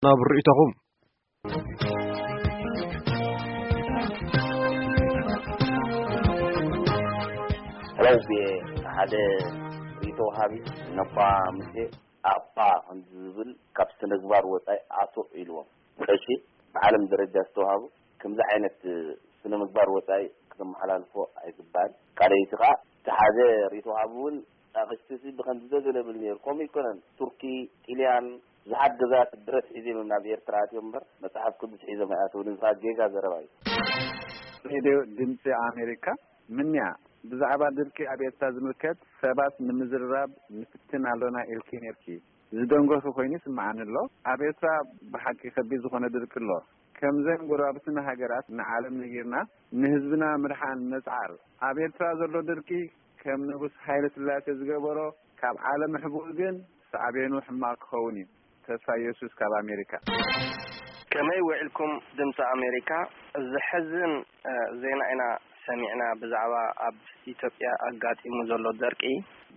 ናብ ርእይቶኹም። ሕራይ ብየ ሓደ ርእይቶ ወሃቢ ነባ ሙሴ ኣባ ከምዚ ዝብል ካብ ስነ ምግባር ወጻኢ ኣቶ ኢልዎም። ቀሺ ብዓለም ደረጃ ዝተዋህቡ ከምዚ ዓይነት ስነ ምግባር ወጻኢ ክተመሓላልፎ ኣይግባእን። ካልኣይቲ ከኣ እቲ ሓደ ርእይቶ ወሃቢ እውን ኣቕሽቲ ሲ ብኸምዚ ዘገለብል ነይሩ። ከምኡ ኣይኮነን። ቱርኪ፣ ጢልያን፣ ብዙሓት ገዛት ብረት ሒዞም እዮም ናብ ኤርትራ ኣትዮም እምበር መጽሓፍ ቅዱስ ሒዞም ኣይኣተውን። እዚ ኸኣ ጌጋ ዘረባ እዩ። ሬድዮ ድምጺ ኣሜሪካ ምንያ ብዛዕባ ድርቂ ኣብ ኤርትራ ዝምልከት ሰባት ንምዝርራብ ንፍትን ኣሎና ኢልኪ ነርኪ። ዝደንገኹ ኮይኑ ይስምዓኒ ኣሎ። ኣብ ኤርትራ ብሓቂ ከቢድ ዝኾነ ድርቂ ኣሎ። ከምዘን ጎረባብትና ሃገራት ንዓለም ነጊርና ንህዝብና ምድሓን ነጽዓር። ኣብ ኤርትራ ዘሎ ድርቂ ከም ንጉስ ሃይለ ስላሴ ዝገበሮ ካብ ዓለም ኣሕቡኡ ግን ሳዕቤኑ ሕማቕ ክኸውን እዩ። ተስፋ ኢየሱስ ካብ ኣሜሪካ። ከመይ ውዒልኩም ድምፂ ኣሜሪካ? ዘሕዝን እ፣ ዜና ኢና ሰሚዕና ብዛዕባ ኣብ ኢትዮጵያ ኣጋጢሙ ዘሎ ደርቂ።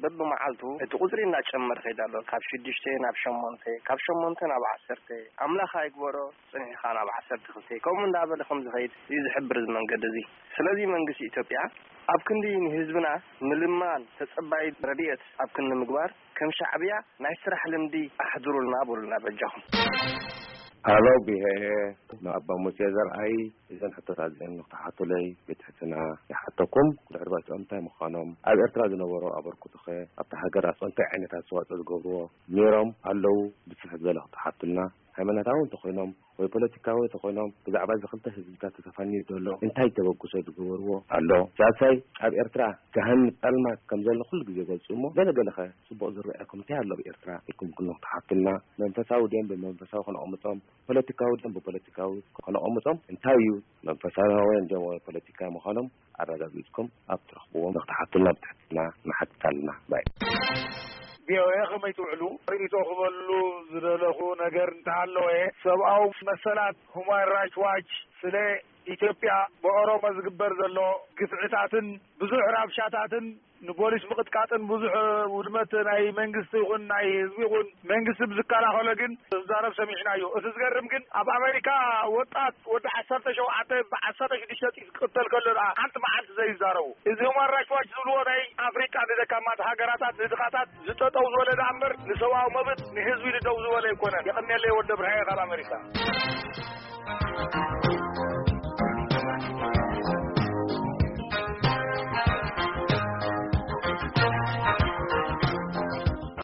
በብመዓልቱ እቲ ቁፅሪ እናጨመረ ይኸይድ ኣሎ። ካብ ሽዱሽተ ናብ ሸሞንተ፣ ካብ ሸሞንተ ናብ ዓሰርተ፣ ኣምላኽ ኣይግበሮ፣ ፅንሒኻ ናብ ዓሰርተ ክልተ፣ ከምኡ እንዳበለ ከም ዝኸይድ እዩ ዝሕብር እዚ መንገዲ እዚ። ስለዚ መንግስቲ ኢትዮጵያ ኣብ ክንዲ ንህዝብና ምልማን ተጸባይ ረድኤት ኣብ ክንዲ ምግባር፣ ከም ሻዕብያ ናይ ስራሕ ልምዲ ኣሕድሩልና በሉልና በጃኹም። ሃሎ፣ ብሄ ንኣባ ሙሴ ዘርኣይ፣ እዘን ሕቶታት እዚአን ንክትሓቱለይ ብትሕትና ይሓተኩም። ድሕሪ ባጽኦም እንታይ ምዃኖም፣ ኣብ ኤርትራ ዝነበሩ ኣበርክቶኸ፣ ኣብታ ሃገር ኣጽኦ እንታይ ዓይነት ኣስተዋጽኦ ዝገብርዎ ነይሮም ኣለዉ፣ ብስፍሕ ዝበለ ክትሓቱልና። ሃይማኖታዊ እንተኾይኖም ወይ ፖለቲካዊ እንተኾይኖም፣ ብዛዕባ እዚ ክልተ ህዝብታት ተተፋንዩ ዘሎ እንታይ ተበግሶ ዝገበርዎ ኣሎ? ሳልሳይ፣ ኣብ ኤርትራ ገሃነም ጸልማት ከም ዘሎ ኩሉ ግዜ ይገልጹ እሞ፣ ገለ ገለኸ ጽቡቕ ዝረኣየኩም እንታይ ኣሎ ኣብ ኤርትራ ኢልኩም ክኖ ክትሓቱልና፣ መንፈሳዊ ድዮም ብመንፈሳዊ ከነቐምጦም፣ ፖለቲካዊ ድዮም ብፖለቲካዊ ከነቐምጦም፣ እንታይ እዩ መንፈሳውያን ድዮም ወይ ፖለቲካዊ ምዃኖም ኣረጋጊጽኩም ኣብ ትረኽብዎም ንክትሓቱልና ብትሕትና ንሓትት ኣለና። ባይ። ቪኦኤ ከመይ ትውዕሉ? ርእይቶ ክበሉ ዝደለኹ ነገር እንተሃለወ፣ ሰብኣዊ መሰላት፣ ሁማን ራይትስ ዋች፣ ስለ ኢትዮጵያ ብኦሮሞ ዝግበር ዘሎ ግፍዕታትን ብዙሕ ራብሻታትን ንፖሊስ ምቕጥቃጥን ብዙሕ ውድመት ናይ መንግስቲ ይኹን ናይ ህዝቢ ይኹን መንግስቲ ብዝከላኸሎ ግን ዝዛረብ ሰሚዕናዮ። እቲ ዝገርም ግን ኣብ ኣሜሪካ ወጣት ወዲ ዓሰርተ ሸውዓተ ብዓሰርተ ሽዱሽተ ጥይት ክቕተል ከሎ ደኣ ሓንቲ መዓልቲ ዘይዛረቡ። እዚ ሁማን ራይትስ ዋች ዝብልዎ ናይ ኣፍሪቃ ንደካማት ሃገራታት ንድኻታት ዝጠጠው ዝበለ ደኣ እምበር ንሰብኣዊ መብት ንህዝቢ ኢሉ ደው ዝበለ ኣይኮነን። የቐንየለይ ወዲ ብርሃየ ካብ ኣሜሪካ።